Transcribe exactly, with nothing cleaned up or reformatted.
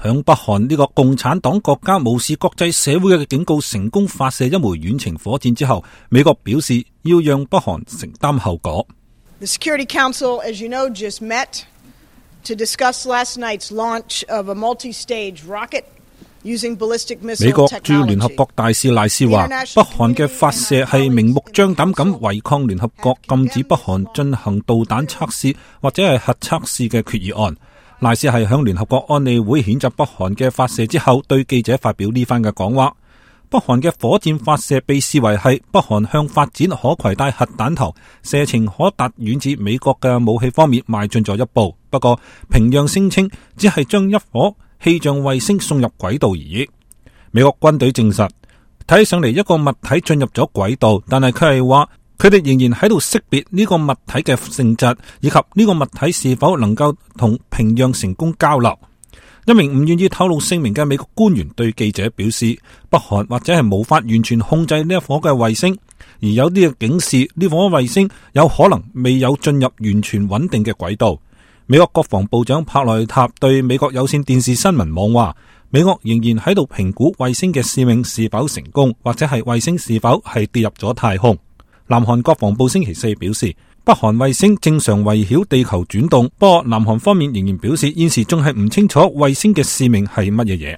響北韓呢個共產黨國家無視國際社會嘅警告，成功發射一枚遠程火箭之後，美國表示要讓北韓承擔後果。The Security Council, as you know, just met to discuss last night's launch of a multi-stage rocket using ballistic missile technology. 美國駐聯合國大使賴斯話，北韓嘅發射係明目張膽咁違抗聯合國禁止北韓進行導彈測試或者係核測試嘅決議案。賴斯係響聯合國安理會譴責北韓嘅發射之後，對記者發表呢番嘅講話。北韓嘅火箭發射被視為係北韓向發展可攜帶核彈頭、射程可達遠至美國嘅武器方面邁進咗一步。不過，平壤聲稱只係將一顆氣象衛星送入軌道而已。美國軍隊證實，睇上嚟一個物體進入咗軌道，但係佢係話佢哋仍然喺度識別呢個物體嘅性質，以及呢個物體是否能夠同平壤成功交流。一名唔願意透露姓名嘅美國官員對記者表示，北韓或者係無法完全控制呢一顆嘅衛星，而有啲嘅警示呢顆衛星有可能未有進入完全穩定嘅軌道。美國國防部長帕內塔對美國有線電視新聞網話，美國仍然喺度評估衛星嘅使命是否成功，或者係衛星是否係跌入咗太空。南韓國防部星期四表示，北韓衛星正常圍繞地球轉動，不過南韓方面仍然表示現時仲係唔清楚衛星嘅使命係乜嘢嘢。